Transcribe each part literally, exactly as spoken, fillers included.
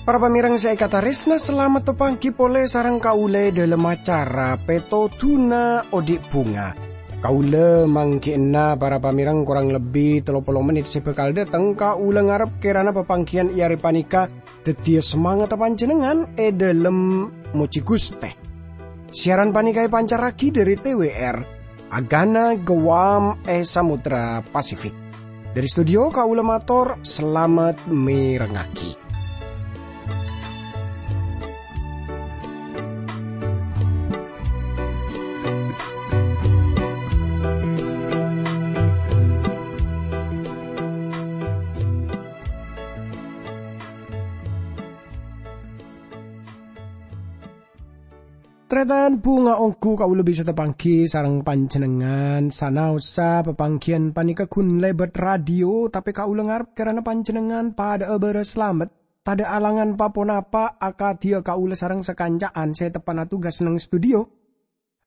Para pamèrèng sè èkatarèsna, salamet panggi polè sareng kaulâ è dhâlem acara Pètodhuna Odi' Bhunga. Kaulâ mangghi'na para pamèrèng korang lebbi tello polo mennit sè bhâkal dâteng. Kaulâ ngarep kèrana papangghiyân è arè panèka dhâddhiyâ samangatta panjhennengngan è dhâlem mojhi Ghustè. Siaran panèka èpancarraghi dhâri T W R, Agana Guam è Samudra Pasifik. Dhâri studio kaulâ mator salamet mèrengngaghi. Tarètan, bhunga ongghu kaulâ bisa tapanggi sareng panjhennengngan. Sanaossa papangghiyân panèka ghun lèbât radio, tapè kaulâ ngarep kèrana panjhennengngan padâ'â bârâs salamet, tadâ' alangan pa-ponapa akadhiyâ kaulâ sareng sakanca'an sè teppa'na tugas neng studio.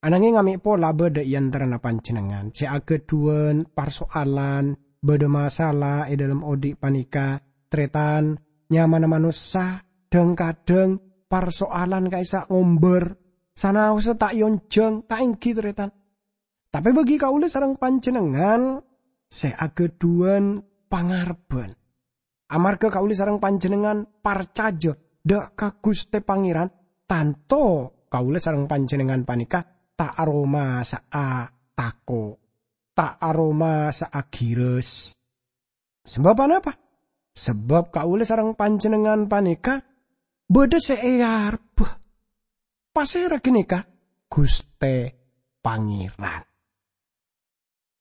Ananging amè' pola bâdâ è antarana panjhennengngan sè aghâdhuwân parsoalan, bâdâ masalah è dhâlem odi' panèka, tarètan, nyamana manossa, dhâng-kadhâng parsoalan ka'issa' ngombâr, sanaossa ta' èonjhâng, ta' èngghi, tarètan. Tapè bagi kaulâ sareng panjhennengngan sè aghâdhuwân pangarebbhân. Amarghâ kaulâ sareng panjhennengngan parcajâ dâ' ka Ghustè Pangèran, tanto kaulâ sareng panjhennengngan panèka ta' aromasa'a tako', ta' aromasa'a ghirâs. Sabâb anapa? Sabâb kaulâ sareng panjhennengngan panèka bâdâ sè èarebbhâ. Pasèra ghânèka? Ghustè Pangèran.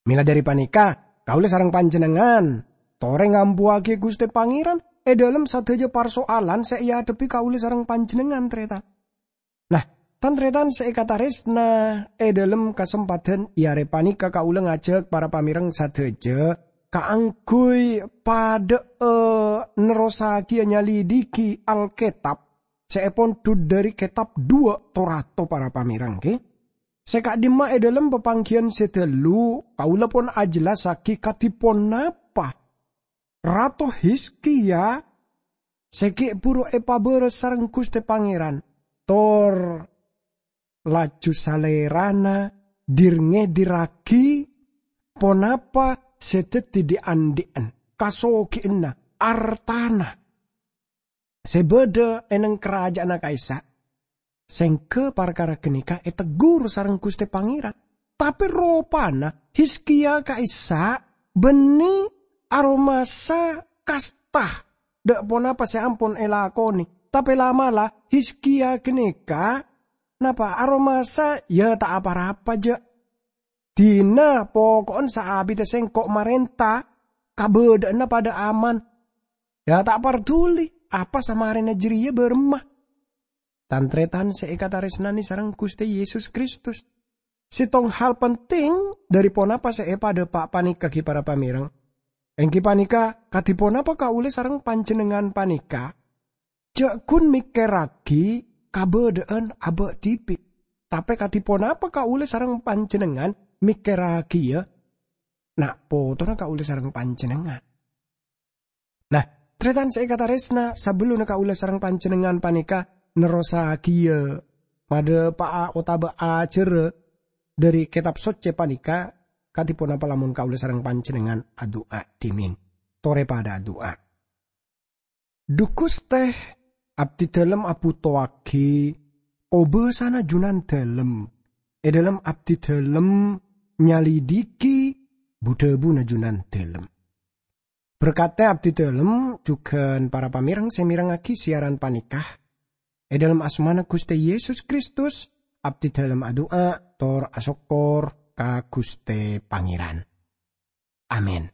Mèla dhâri panèka, kaulâ sareng panjhennengngan torè ngambuwâghi Ghustè Pangèran è dhâlem sadhâjâ parsoalan sè èadhebbhi kaulâ sareng panjhennengngan, tarètan. Nah, tan-tarètan sè èkatarèsna, è dhâlem kasempadhân è arè panèka kaulâ ngajhâk para pamèrèng sadhâjâ kaangghuy padâ'â nerrossaghiyâ nyalidhighi Alkètab sè èpondhut dhâri kètab duwâ' to-rato, para pamèrèng, ghi. Sè ka'dimma è dhâlem papangghiyân sè dâllu, kaulâ pon ajhellassaghi kadhi ponapa Rato Hizkia sè ghi' bhuru èpabârâs sareng Ghustè Pangèran, tor laju salèrana dhir-ngèdhirraghi ponapa sè dhâddhi dhi'-andhi'en, kasoghiyânna, artana sè bâdâ è neng karaja'anna ka'issa'. Sèngghâ parkara ghânèka ètegghur sareng Ghustè Pangèran. Tapè ropana Hizkia ka'issa' bânnè aromasa kasta dâ' ponapa sè ampon èlakonè. Tapè la'-mala' Hizkia ghânèka napa aromasa, ya ta' apa-rapa, jâ'. Dina poko'en saabiddhâ sèngko' marènta, kabâdâ'ânna padâ aman. Ya, ta' parduli apa samarèna jârèya bârâmma. Tan-tarètan sè èkatarèsnanè sareng Ghustè Yesus Kristus, sèttong hal penting dhâri ponapa sè èpadâpa' panèka ghi para pamèrèng. Èngghi panèka, kadhi ponapa kaulâ sareng panjhennengngan panèka jâ' ghun mèkkèrraghi kabâdâ'ân abâ' dhibi'. Tapè kadhi ponapa kaulâ sareng panjhennengngan mèkkèrraghiyâ na' potorra kaulâ sareng panjhennengngan? Nah, tarètan sè èkatarèsna, sabellunna kaulâ sareng panjhennengngan panèka nerrossaghiyâ madhâpa'a otabâ ajhârâ dhâri Kètab Soccè panèka, kadhi ponapa lamon kaulâ sareng panjhennengngan adu'a dhimèn? Torè padâ adu'a. Dhu Ghustè, abdhidhâlem abhutowaghi kobâsana Junandhâlem. È dhâlem abdhidhâlem nyalidhighi bu-dhâbuna Junandhâlem. Berkatè abdhidhâlem jhughân para pamèrèng sè mèrengngaghi siaran panèka. È dhâlem asmana Ghustè Yesus Kristus, abdhidhâlem adu'a tor asokkor ka Ghustè Pangèran. Amin.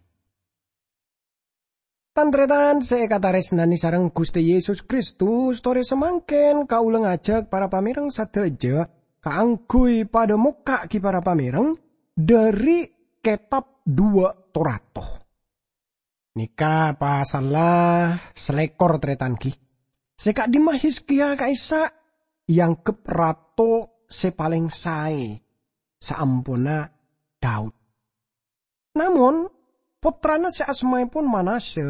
Tan-tarètan sè èkatarèsnanè sareng Ghustè Yesus Kristus, torè samangkèn kaulâ ngajhâk para pamèrèng sadhâjâ kaangghuy padâ mokka' ghi para pamèrèng dhâri Kètab Duwâ' To-rato. Nèka pasalla salèkor, tarètan ghi. Sè ka'dimma Hizkia ka'issa' èangghep rato sè palèng saè saamponna Daud. Namong, pottrana sè asmaèpon Manasya,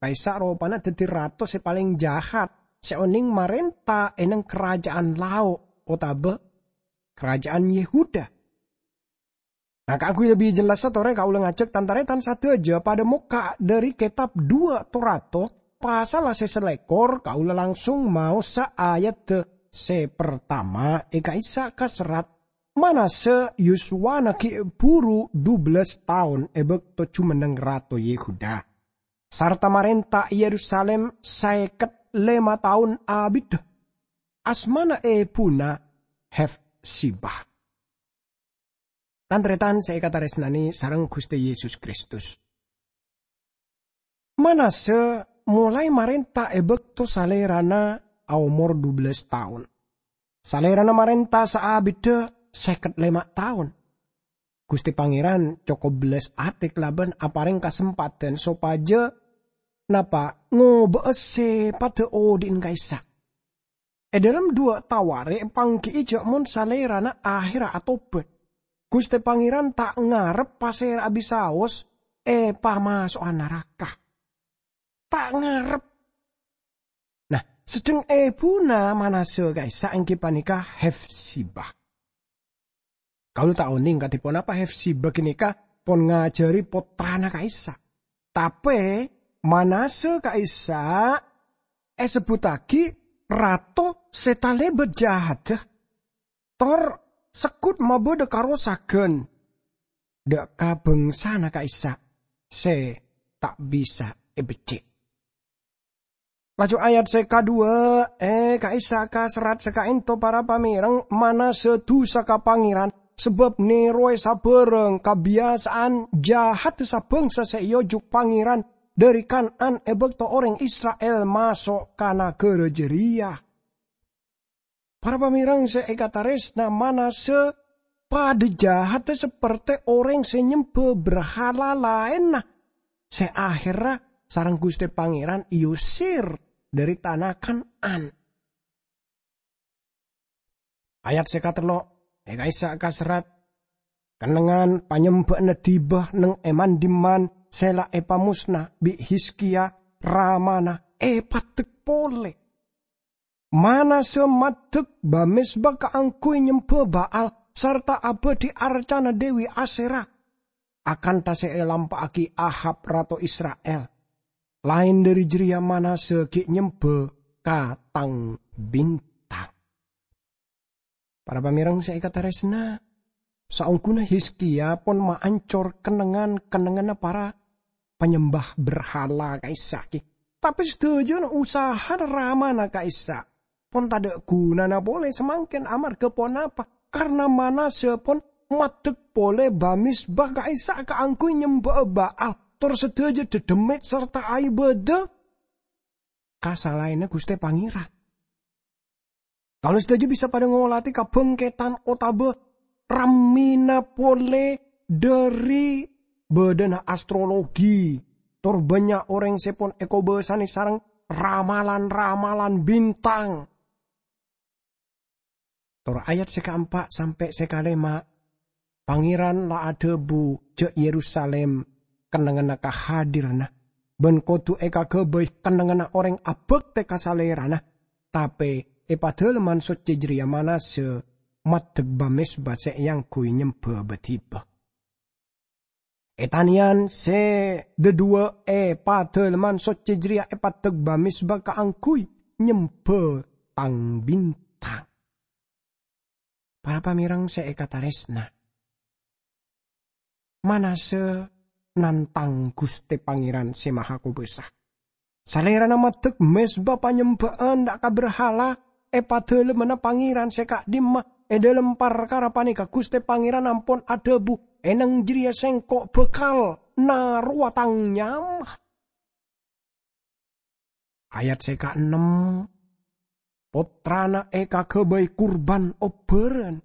ka'issa' ropana dhâddhi rato sè palèng jahat sè onèng marènta è neng karaja'an lao' otabâ karaja'an Yehuda. Nah, kaangghuy lebbi jellassa torè kaulâ ngajhâk tan-tarètan sadhâjâ padâ mokka' dhâri kètab Duwâ' To-Rato, pasalla sè salèkor, kaulâ langsung maosa ayadda sè partama è ka'issa' kaserrat, Manasya yuswana ghi' buru dubellâs taon è bâkto jumenneng Rato Yehuda, sarta marènta è Yerusalim sèket lèma taon abiddhâ. Asmana èbhuna Hefsibah. Tan-tarètan sè èkatarèsnanè sareng Ghustè Yesus Kristus. Manasya molaè marènta è bâkto salèrana aomor dubellâs taon. Salèrana marènta saabiddhâ sèket lèma taon. Ghustè Pangèran cokop bellas atè kalabân aparèng kasempadhân sopajâ napa ngobâ'â sè padâ odi'na ka'issa'. È dhâlem Duwâ' Tawarikh èpangghi'i jhâ' mon salèrana ahèrra atobhât, Ghustè Pangèran ta' ngarep pasèra'a bisaos èpamaso'a naraka. Ta' ngarep. Nah, sedheng èbhuna Manasya ka'issa' èngghi panèka Hefsibah. Kaulâ ta' onèng kadhi ponapa Hefsibah ghânèka pon ngajhâri pottrana ka'issa'. Tapè Manasya ka'issa' èsebbhuttaghi rato sè talèbât jahadda, tor segghut mabâdâ karosaghân dâ' ka bhângsana ka'issa' sè ta' bisa èbeccè'. Laju ayat sè kaduwâ', è ka'issa' kaserrat sè ka'ènto para pamèreng, Manasya dusa ka Pangèran, sabâb nèrowè sabhârâng kabiyasa'an jahaddhâ sabhângsa sè èojhuk Pangèran dhâri Kan'an è bâkto orèng Isra'il maso' ka naghârâ jârèya. Para pamèreng sè èkatarèsna, Manasya padâ jahaddhâ sapertè orèng sè nyembhâ berhala laènna, sè ahèrra sareng Ghustè Pangèran èosèr dhâri tana Kan'an. Ayat sè katello', è ka'issa' kaserrat, kennengngan panyembhâ'ânna dhiba neng è man-dimman sè la èpamosna bi' Hizkiya, ramana, èpaddhek polè. Manasya maddhek bâ-mezba kaangghuy nyembhâ Ba'al sarta abâdhi arcana Dewi Asyera, akantha sè èlampa'aghi Ahab, rato Isra'il. Laèn dhâri jârèya Manasya ghi' nyembhâ ka tang bintang. Para pamèreng sè èkatarèsna, saongghuna Hizkiya pon maancor kennengngan-kennengnganna para panyembhâ berhala ka'issa' ghi. Tapè sadhâjâna usahana ramana ka'issa' pon tadâ' ghunana polè samangkèn amarghâ ponapa? Karna Manasya pon maddhek polè bâ-mezba ka'issa' kaangghuy nyembhâ'â Ba'al, tor sadhâjâ dhâddhemmèt sarta aèbâdâ ka salaènna Ghustè Pangèran. Kaulâ sadhâjâ bisa padâ ngolatè kabhângkèdhân otabâ rammèna polè dhâri bâdâna astrologi, tor bânnya' orèng sè pon èkobâsanè sareng ramalan-ramalan bintang. Tor ayat sè kaempa' sampè' sè kalèma', Pangèran la adhâbu jhâ' Yerusalim kennengnganna kahadiranna, bân kodhu èkaghâbây kennengnganna orèng abhâktè ka Salèrana, tapè è Padalemman Socce jârèya Manasya maddhek bâ-mezba sè èangghuy nyembhâ bâ-dhiba. È tanèyan sè dhâduwâ è Padalemman Socce jârèya èpaddhek bâ-mezba kaangghuy nyembhâ tang bintang. Para pamèreng sè èkatarèsna, Manasya nantang Ghustè Pangèran Sè Mahakobâsa. Salèrana maddhek mezba panyembhâ'ân dâ' ka berhala è Padalemmanna Pangèran sè ka'dimma. È dhâlem parkara panèka Ghustè Pangèran ampon adhâbu, "È nang jârèya Sèngko' bhâkal narowa Tang nyama." Ayat sè kaennem, pottrana èkaghâbây kurban obbhârân.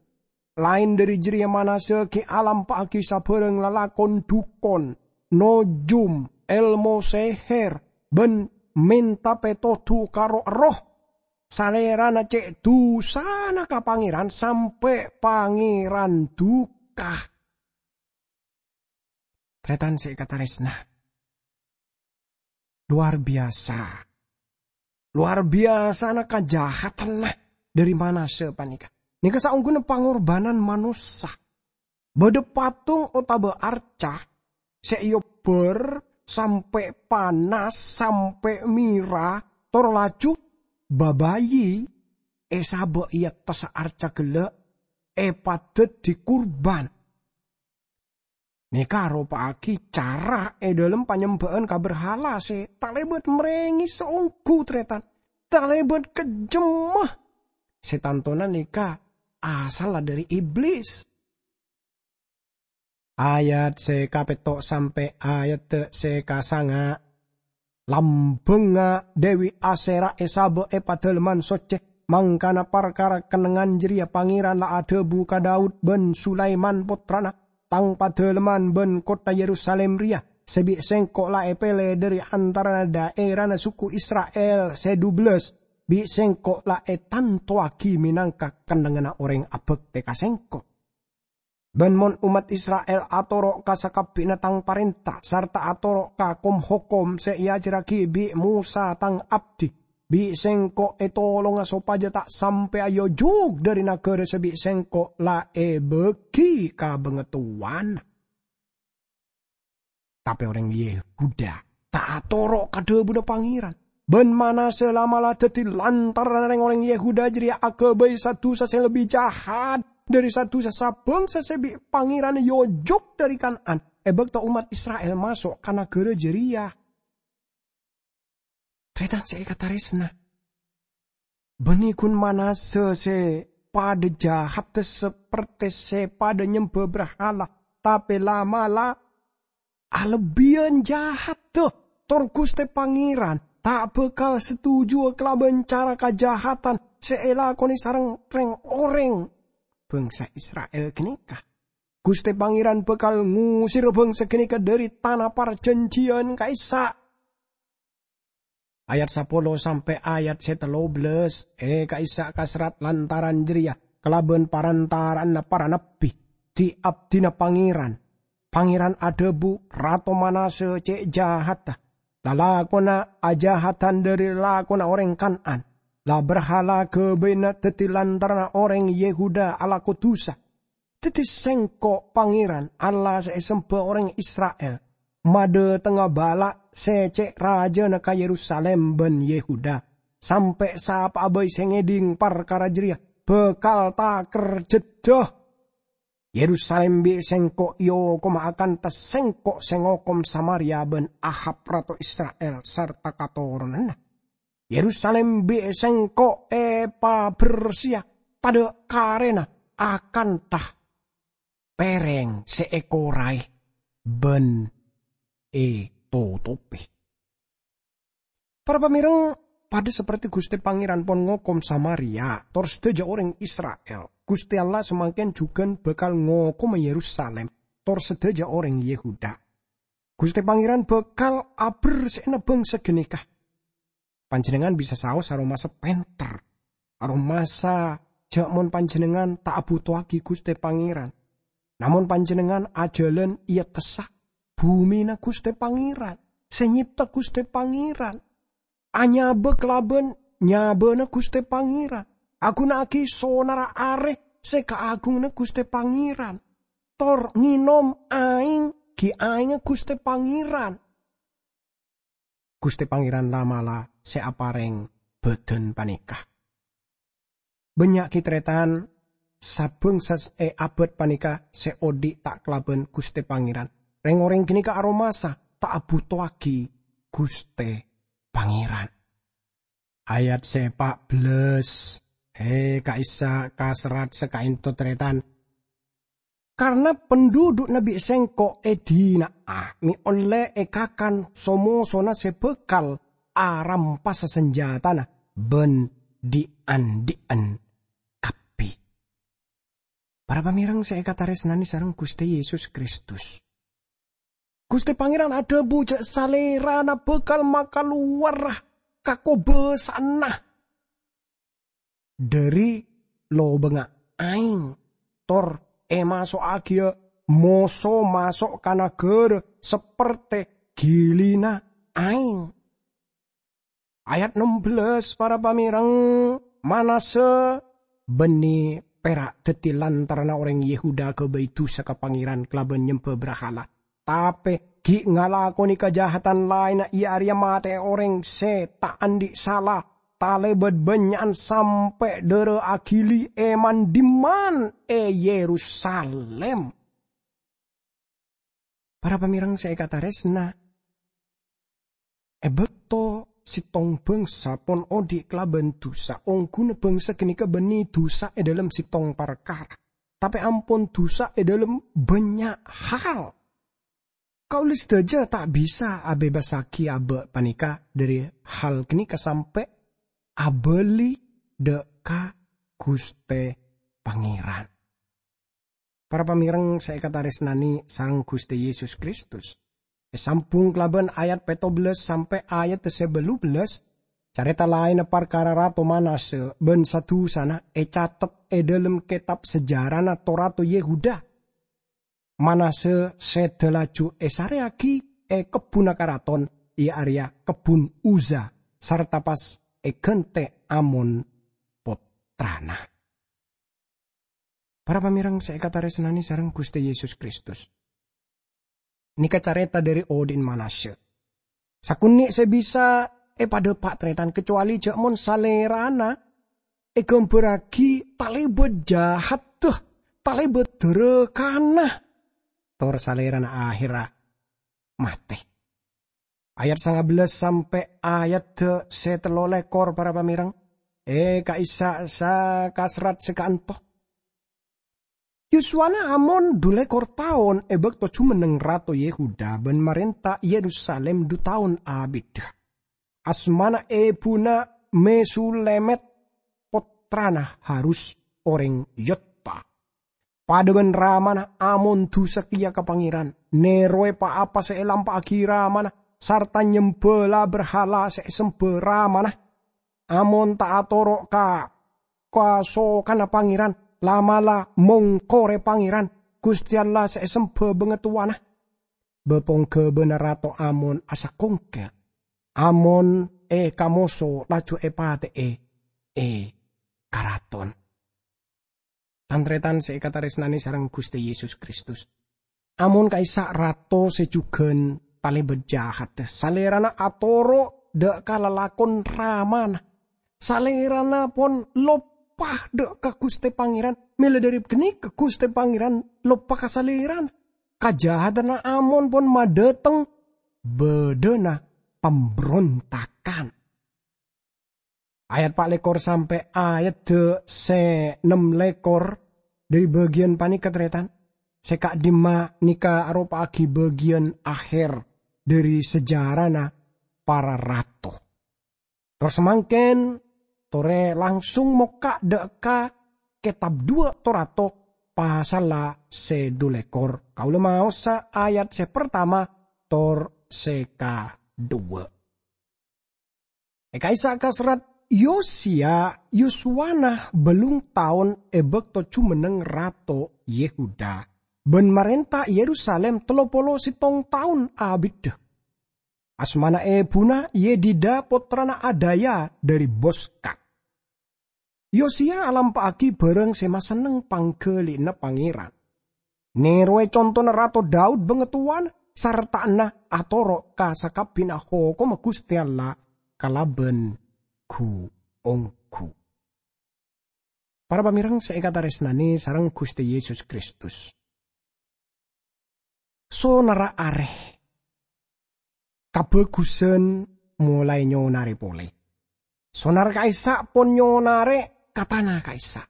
Laèn dhâri jârèya Manasya ghi' alampa'aghi sabhârâng lalakon dhukon, nojum, èlmo sèhèr, bân mènta pètodhu ka roh-erroh. Salèrana cè' dusana ka Pangèran sampè' Pangèran duka. Tarètan sè èkatarèsna, luar biasa. Luar biyasana kajahatanna dhâri Manasya panèka. Nèka saongghuna pangorbhânan manossa. Bâdâ patung otabâ arca sè èobbhâr sampè' panas, sampè' mèra, tor laju babayi èsabâ' è attassa arca ghellâ' èpadhâddhi kurban. Nèka aropa'aghi cara è dhâlem panyembhâ'ân ka berhala sè talèbât marèngè saongghu, tarètan, talèbât kejjemma. Sè tantona nèka asalla dhâri Iblis. Ayat sè kapètto' sampè' ayat sè kasanga'. Lambhângnga Dewi Asyera èsabâ' è Padalemman Soccè, mangkana parkara kennengngan jârèya Pangèran la adhâbu ka Daud bân Sulaiman pottrana, "Tang Padalemman bân kottha Yerusalim rèya sè bi' Sèngko' la èpèlè dhâri antarana dhaèrana suku Isra'il sè dubellâs, bi' Sèngko' la ètantowaghi mènangka kennengnganna orèng abhâktè ka Sèngko'." Bân mon ommat Isra'il atoro' ka sakabbhiyânna Tang parènta sarta atoro' ka kom-hokom sè èajhârraghi bi' Mosa Tang abdi, bi' Sèngko' ètolonga sopajâ ta' sampè' aojhuk dhâri naghârâ sè bi' Sèngko' la èbâghi ka bangatowana. Tapè orèng Yehuda ta' atoro' ka dhâbuna Pangèran. Bân Manasya la'-mala' dhâddhi lantaran rèng-orèng Yehuda jârèya aghâbây sa-dusa sè lebbi jahat dhâri sa-dusa sabângsa sè bi' Pangèran èojhuk dhâri Kan'an è bâkto ommat Isra'il maso' ka naghârâ jârèya. Tarètan sè èkatarèsna, bânnè ghun Manasya sè padâ jahatta sapertè sè padâ nyembhâ brahala, tapè la'-mala' alebbiyân jahatta, tor Ghustè Pangèran ta' bhâkal setujuwâ kalabân cara kajahatan sè èlakonè sareng rèng-orèng bângsa Isra'il ghânèka. Ghustè Pangèran bhâkal ngosèra bângsa ghânèka dhâri tana parjhânjhiyân ka'issa'. Ayat sapolo sampè' ayat sè tello bellâs, è, ka'issa' kaserrat lantaran jârèya kalabân parantara'anna para nabbhi, dhi-abdhina Pangèran. Pangèran adhâbu, "Rato Manasya cè' jahatta, lalakonna ajahadan dhâri lalakonna orèng Kan'an, la brahala ghâbâyna dhâddhi lantaranna orèng Yehuda alako dusa." Dhâddhi Sèngko', Pangèran, Allah sè èsembhâ orèng Isra'il, madhâtengnga bâla' sè cè' rajâna ka Yerusalim bân Yehuda, sampè' sapa'a bhâi sè ngèdhing parkara jârèya bhâkal takerjhâddhâ. Yerusalim bi' Sèngko' èokoma akanta Sèngko' sè ngokom Samaria bân Ahab rato Isra'il sarta katoronanna. Yerusalim bi' Sèngko' èpabersèya tadâ' karèna akanta pèrèng sè èkoraè bân ètotopè. Para pamèreng, padâ saperti Ghustè Pangèran pon ngokom Samaria tor sadhâjâ orèng Isra'il, Ghustè Allah samangkèn jhughân bhâkal ngokoma Yerusalim tor sadhâjâ orèng Yehuda. Ghustè Pangèran bhâkal abersè'ana bângsa ghânèka. Panjhennengngan bisa saos aromasa pènter. Aromasa jhâ' mon panjhennengngan ta' abhutowaghi Ghustè Pangèran. Namong panjhennengngan ajhâlân è attassa bhumina Ghustè Pangèran, sè nyèpta Ghustè Pangèran. Anyabâ kalabân nyabâna Ghustè Pangèran. Aghunaaghi sonarra arè sè kaagunganna Ghustè Pangèran. Tor ngènom aèng ghi' aèngnga Ghustè Pangèran. Ghustè Pangèran la'-mala' sè aparèng bhâdhân panèka. Bânnya' ghi' tarètan sabângsa è abâd panèka sè odi' ta' kalabân Ghustè Pangèran. Rèng-orèng ghânèka aromasa ta' abhutowaghi Ghustè Pangèran. Ayat sè pa' bellâs, è, ka'issa' kaserrat sakaènto tarètan. Karna pandhudhu'na bi' Sèngko' èdina'a, mè' ollè èkakan so-mosona sè bhâkal arampasa sanjhâtana bân dhi'-andhi'an kabbhi. Para pamèreng sè èkatarèsnanè sareng Ghustè Yesus Kristus, Ghustè Pangèran adhâbu jhâ' Salèrana bhâkal makalowara kakobâsa'anna. dhâri lobângnga aèng, tor èmaso'aghiyâ moso maso' ka naghârâ saperte ghilina aèng. Ayat ennem belas, para pamèrèng, Manase bânnè pèra' dhâddhi lantaranna orèng Yehuda aghâbây dhusa ka Pangèran kalabân nyembhâ brahala. Tapè ghi' ngalakonè kajahadan laènna, iyâ arèya matè'è orèng sè ta' andi' sala, talèbât bânnya'an sampè' dârâ aghili è man-dimman è Yerusalim. Para pamèrèng sè èkatarèsna, è bâkto sèttong bhângsa pon odi' kalabân dhusa, ongghuna bhângsa ghânèka bânnè dhusa è dâlem sèttong parkara, tapè ampon dhusa è dâlem bânnya' hal. Kaulâ sadhâjâ ta' bisa abhebbassaghi abâ' panèka dhâri hal ghânèka sampè' abâli dâ' ka Ghustè Pangèran. Para pamèrèng sè èkatarèsnanè sareng Ghustè Yesus Kristus, èsambhung kalabân ayat pètto belas sampè' ayat sè bâllu belas, carèta laènna parkara Rato Manase bân sa-dusana ècatet è dâlem kètab sejarana to-rato Yehuda. Manase sèdhâ laju èsarèyaghi è kebbhunna karaton, iyâ arèya kebbhun Uza, sarta pas èghântè' Amon pottrana. Para pamèrèng sè èkatarèsnanè sareng Ghustè Yesus Kristus, nèka carèta dhâri odi'na Manase. Sakonè' sè bisa èpadhâpa' tarètan, kacowalè jhâ' mon salèrana èghâmbhârraghi talèbât jahaddhâ, talèbât dârâkana, tor salèrana ahèrra matè. Ayat sanga bellas sampè' ayat sè tello lèkor, para pamèrèng, è ka'issa' sa-, kaserrat sè ka'anto. Yuswana Amon dhu lèkor taon è bâkto jumenneng Rato Yehuda bân marènta Yerusalim dhu taon abiddhâ. Asmana ebhuna Mesulemet, pottrana Harus orèng Yotta. Padâ bân ramana Amon dhusa kèya ka Pangèran, nèrowè pa-apa sè èlampa'aghi ramana, sarta nyembhâ la-, berhala sè èsembhâ ramana. Amon ta' atoro' ka kasokanna Pangèran, la'-mala' mongkorè Pangèran, Ghustè Allah sè èsembhâ bângatowana. Bâ-pongghâbâna Rato Amon asakongkèl. Amon èkamoso laju èpatè'è è karaton. Tan-tarètan sè èkatarèsnanè sareng Ghustè Yesus Kristus, Amon ka'issa' rato sè jhughân talèbât jahaddhâ. Salèrana atoro' dâ' ka lalakon ramana. Salèrana pon loppa dâ' ka Ghustè Pangèran. Mèla dhâri ghânèka Ghustè Pangèran loppa ka salèrana. Kajahadanna Amon pon madhâteng bâdâna pambrontakan. Ayat pa' lèkor sampè' ayat sè nem lèkor dhâri bâgiyân panèka, tarètan, sè ka'dimma nèka aropa'aghi bâgiyân aher dhâri sejarana para rato. Tor samangkèn, torè langsung mokka' dâ' ka kètab Duwâ' To-rato, pasalla sè dhu lèkor. Kaulâ maosa ayat sè partama tor sè kadhuwâ'. È ka'issa' kaserrat Yosiya, Yuswana bâllung taon è bâkto jumenneng rato Yehuda, bân marènta Yerusalim tello polo sèttong taon abiddhâ. Asmana ebhuna Yedida, pottrana Adaya dhâri Boska. Yosiya alampa'aghi bhârâng sè masenneng pangghâli'ânna Pangèran. Nèrowè contona Rato Daud bângatowana, sarta'na atoro' ka sakabbhiyânna hokomma Ghustè Allah kalabân ghu-ongghu. Para pamèrèng sè èkatarèsnanè sareng Ghustè Yesus Kristus. Sonarra arè kabhâghusân molaè nyonarè polè. Sonar ka'issa' pon nyonarè ka tana ka'issa'.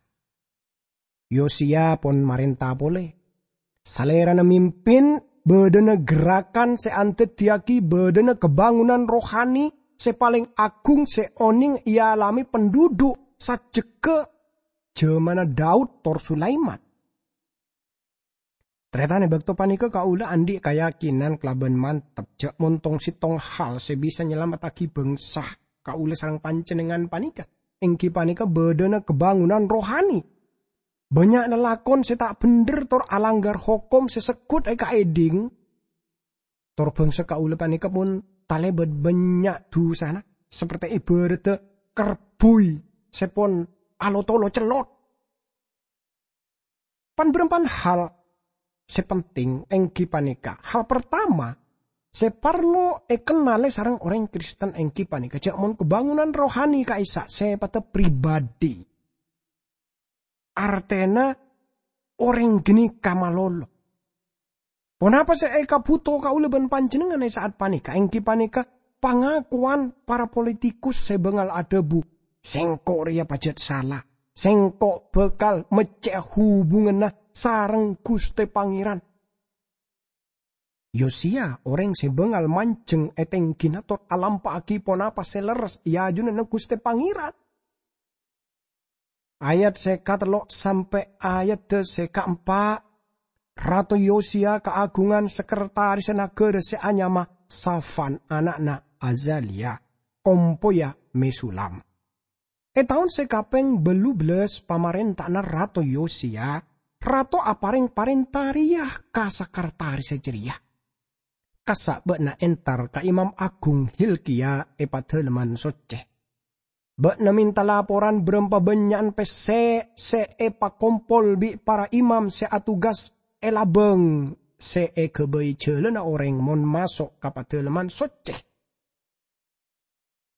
Yosiya pon marènta polè. Salèrana mimpin bâdâna gerakan sè andhâddhiyâghi bâdâna kabângonanna rohani sè palèng aghung sè onèng èalamè pandhudhu' sajjhegghâ jhâmanna Daud tor Sulaiman. Tarètan, è bâkto panèka kaulâ andi' kayakinan kalabân mantep jhâ' mon tong-sèttong hal sè bisa nyalamettaghi bhângsa kaulâ sareng panjhennengngan panèka. èngghi panèka bâdâna kabângonan rohani. Bânnya' lalakon sè ta' bhendher tor alangghâr hokom sè segghut èkaèdhing, tor bhângsa kaulâ panèka pon talèbât bânnya' dhusana, saperte èbhârâddhâ kerbhuy sè pon alotolo cellot. Pan-bârâmpan hal sè penting èngghi panèka. Hal partama sè parlo èkennalè sareng orèng Kristen èngghi panèka jhâ' mon kabângonan rohani ka'issa' sè padâ pribadi. Artèna orèng ghânèka malolo. Ponapa sè èkabhuto kaulâ bân panjhennengngan è sa'at panèka? Èngghi panèka pangakowan para politikus sè bângal adhâbu, "Sèngko' rèya pajhât sala. Sèngko' bhâkal meccè'a hubunganna sareng Ghustè Pangèran." Yosiya, orèng sè bângal manjheng è tèngghina tor alampa'aghi ponapa sè lerres è ajunanna Ghustè Pangèran. Ayat sè katello' sampè' ayadda sè kaempa', Rato Yosiya kaagungan sakretaris naghârâ sè anyama Safan, ana'na Azaliya, kompoyya Mesulam. È taon sè kapèng bâllu bellâs pamarènta'anna Rato Yosiya, rato aparèng parènta rèya ka sakretaris jârèya, "Kassa' bâ'na entar ka Imam Agung Hilkiya è Padâlemman Soccè. Bâ'na mènta laporan bârâmpa bânnya'an pèssè sè èpakompol bi' para imam sè atugas è labâng sè èghâbây jhâlânna orèng mon maso' ka Padâlemman Soccè."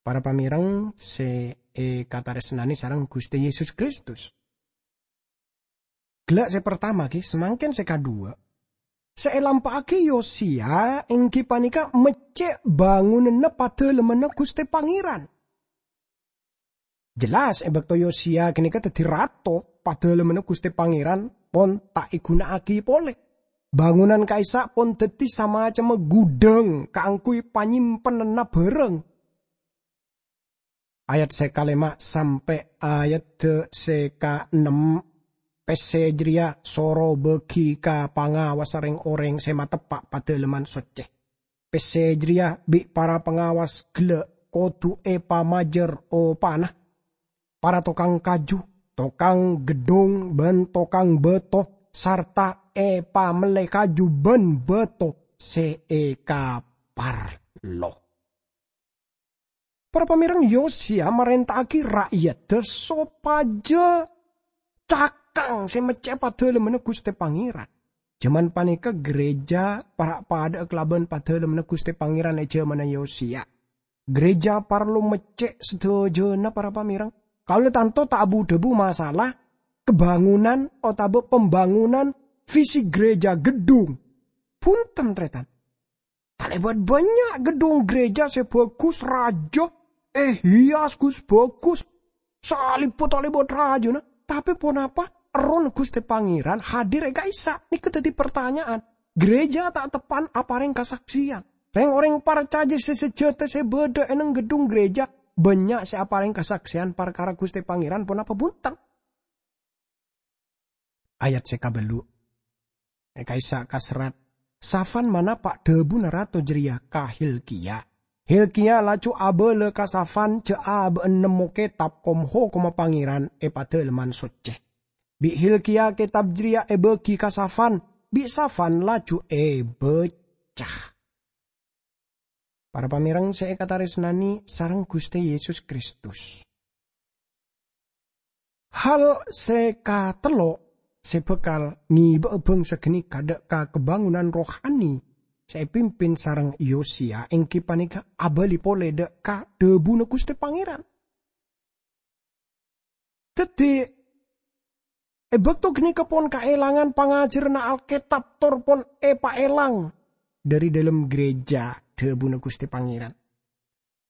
Para pamèreng sè èkatarèsnanè sareng Ghustè Yesus Kristus. Ghellâ' sè partama, ghi, samangkèn sè kaduwâ'. Sè èlampa'aghi Yosiya èngghi panèka meccè' bângonanna Padâlemmanna Ghustè Pangèran. Jelas, è bâkto Yosiya ghânèka dhâddhi rato, Padâlemmanna Ghustè Pangèran pon ta' èghuna'aghi polè. Bângonan ka'issa' pon dhâddhi samacemma ghudhâng kaangghuy panyimpenanna bhârâng. Ayat sè kalèma' sampè' ayadda sè kaennem, pèssè jârèya soro bâgi ka pangawassa rèng-orèng sè mateppa' Padâlemman Soccè. Pèssè jârèya bi' para pangawas ghellâ' kodhu èpamajâr opana. Para tokang kaju, tokang geddhong, bân tokang bâto, sarta èpamellè kaju bân bâto sè èkaparlo. Para pamèreng, Yosiya marènta'aghi ra'yadda sopajâ cakang sè meccè' Padâlemmanna Ghustè Pangèran. Jhâman panèka ghârèjâ para' padâ'â kalabân Padâlemmanna Ghustè Pangèran è jhâmanna Yosiya. Ghârèjâ parlo meccè' sadhâjâna, para pamèreng. Kaulâ tanto ta' abu-dhâbu masalah kabângonan otabâ pambângonan fisik ghârèjâ, geddhong. Bhunten, tarètan. Talèbât bânnya' geddhong ghârèjâ sè bhâghus, rajâ, èhias ghus-bhâghus, salibhâ talèbât rajâna. Tapè ponapa Errohna Ghustè Pangèran hadir è ka'issa'? Nèka dhâddhi partanya'an. Ghârèjâ ta' teppa'na aparèng kasaksèyan. Rèng-orèng parcajâ sè sajâta sè bâdâ è neng geddhong ghârèjâ bânnya' sè aparèng kasaksèyan parkara Ghustè Pangèran ponapa bhunten. Ayat sè kabâllu'. È ka'issa' kaserrat, Safan manapa' dhâbuna rato jârèya ka Hilkiya. Hilkiya laju abâlâ ka Safan jhâ' abâ'na nemmo kètab kom-hokomma Pangèran è Padâlemman Soccè. Bi' Hilkiya kètab jârèya èbâgi ka Safan, bi' Safan laju èbâca. Para pamèreng sè èkatarèsnanè sareng Ghustè Yesus Kristus. Hal sè katello' sè bhâkal ngèbâ'â bhângsa ghânèka dâ' ka kabângonan rohani sè èpimpin sareng Yosiya èngghi panèka abâli polè dâ' ka dhâbuna Ghustè Pangèran. Dhâddhi, è bâkto ghânèka pon kaèlangan pangajhârânna Alkètab tor pon èpaèlang dhâri dhâlem ghârèjâ dhâbuna Ghustè Pangèran.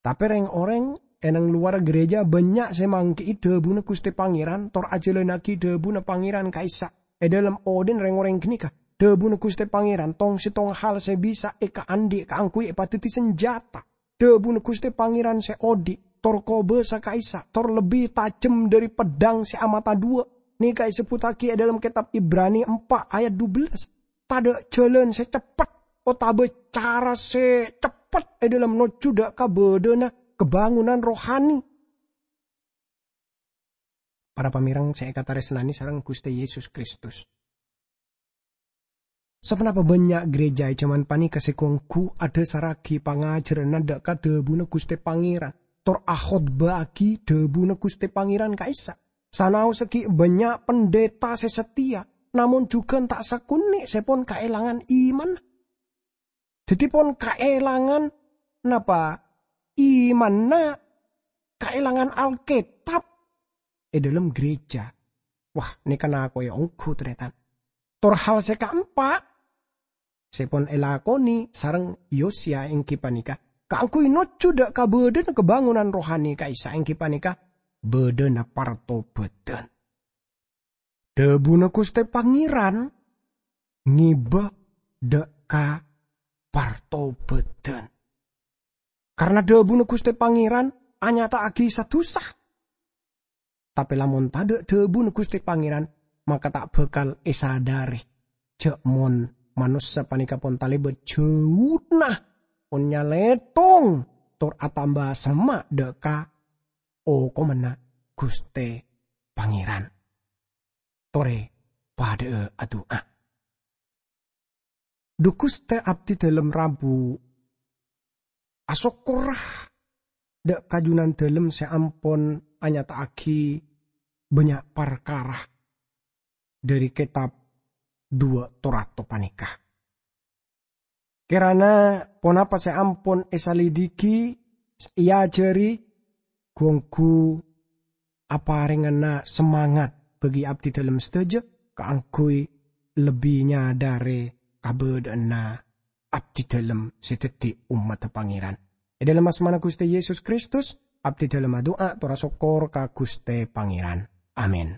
Tapè rèng-orèng è nang lowarra ghârèjâ bânnya' sè manggi'i dhâbuna Ghustè Pangèran tor ajhâlânnaghi dhâbuna Pangèran ka'issa'. È dhâlem odhi'na rèng-orèng ghânèka, dhâbuna Ghustè Pangèran tong-settong hal sè bisa èkaandhi' kaangghuy èpadhâddhi sanjhâta. Dhâbuna Ghustè Pangèran sè odhi', tor kobâsa ka'issa', tor lebbi tajhem dhâri peddhâng sè amata dhuwâ'. Nèka èsebbhuttaghi è dhâlem kètab Ibrani empa' ayat dubellâs. Tadâ' jhâlân sè ceppet otabâ cara sè ceppet è dhâlem nojjhu dâ' ka bâdâna kabângonan rohani. Para pamèrèng sè èkatarèsnanè sareng Ghustè Yesus Kristus. Saponapa bânnya' gereja è jhâman panèka sè ghu-ongghu adhâsarraghi pangajhârânna dâ' ka dhâbuna Ghustè Pangèran, tor akhotbâ'âghi dhâbuna Ghustè Pangèran ka'issa'? Sanaossa ghi' bânnya' pendeta sè sateya, namong jhughân ta' sakonè' sè pon kaèlangan imanna. Dhâddhi pon kaèlangan napa? Imanna, kaèlangan Alkètab è dhâlem gereja. Wah, nèka nako'è ongghu, tarètan. Tor hal sè kaempa' sè pon èlakonè sareng Yosya èngghi panèka kaangghuy nojjhu dâ' ka bâdâna kabângonan rohani ka'issa' èngghi panèka bâdâna partobâdhân. Dhâbuna Ghustè Pangèran ngèbâ dâ' ka partobâdhân. Karna dhâbuna Ghustè Pangèran anyata'aghi sa-dusa. Tapè lamon tadâ' dhâbuna Ghustè Pangèran, maka ta' bhâkal èsadhâri jhâ' mon manossa panèka pon talèbât jhâuna, pon nyalètong, tor atamba semma' dâ' ka okomanna Ghustè Pangèran. Torè padhâ'â adu'a. Dhu Ghustè, abdhidhâlem rabu asokkorra dâ' ka Jhunandhâlem sè ampon anyata'aghi bânnya' parkara dhâri kètab duwâ' to-rato panèka. Kèrana ponapa sè ampon èsalidiki, èajhâri, ghu-ongghu aparèngana semangat bagi abdhidhâlem sadhâjâ kaangghuy lebbi nyadhâri kabâdâ'ânna abdhidhâlem sè dhâddhi ommaddhâ Pangèran. È dhâlem asmana Ghustè Yesus Kristus, abdhidhâlem adu'a tor asokkor ka Ghustè Pangèran. Amin.